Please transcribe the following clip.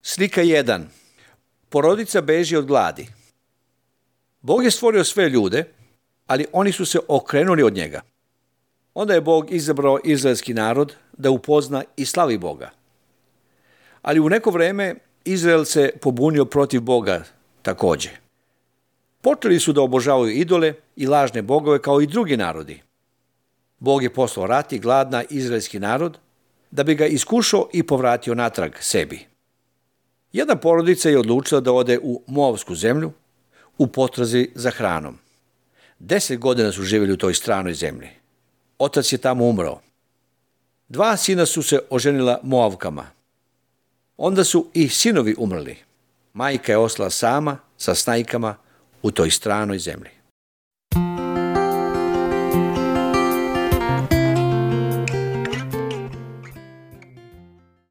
Slika 1. Porodica beži od gladi. Bog je stvorio sve ljude, ali oni su se okrenuli od njega. Onda je Bog izabrao izraelski narod da upozna i slavi Boga. Ali u neko vreme Izrael se pobunio protiv Boga takođe. Počeli su da obožavaju idole i lažne bogove kao i drugi narodi. Bog je poslao rat i glad na izraelski narod da bi ga iskušao i povratio natrag sebi. Jedna porodica je odlučila da ode u Moavsku zemlju u potrazi za hranom. 10 godina su živjeli u toj stranoj zemlji. Otac je tamo umrao. 2 sina su se oženila Moavkama. Onda su i sinovi umrli. Majka je ostala sama sa snajkama u toj stranoj zemlji.